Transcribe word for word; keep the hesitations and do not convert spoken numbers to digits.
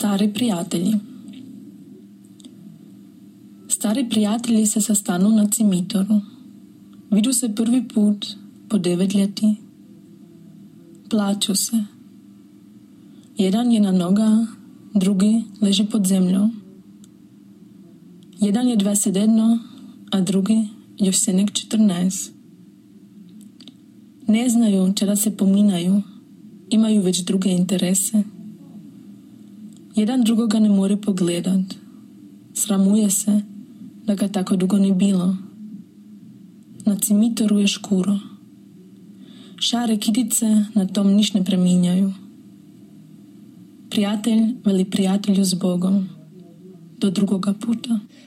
Stari prijatelji. Stari prijatelji se sastanu na cimitoru. Vidu se prvi put po devet ljeti. Plaču se. Jedan je na noga, drugi leži pod zemljom. Jedan je dvadeset jedno, a drugi još se nek četrnaest. Ne znaju čega se pominaju, imaju već druge interese. Jedan drugoga ne more pogledat. Sramuje se da ga tako dugo ni bilo. Na cimitoru je škuro. Šare kitice na tom niš ne preminjaju. Prijatelj veli prijatelju s Bogom. Do drugoga puta.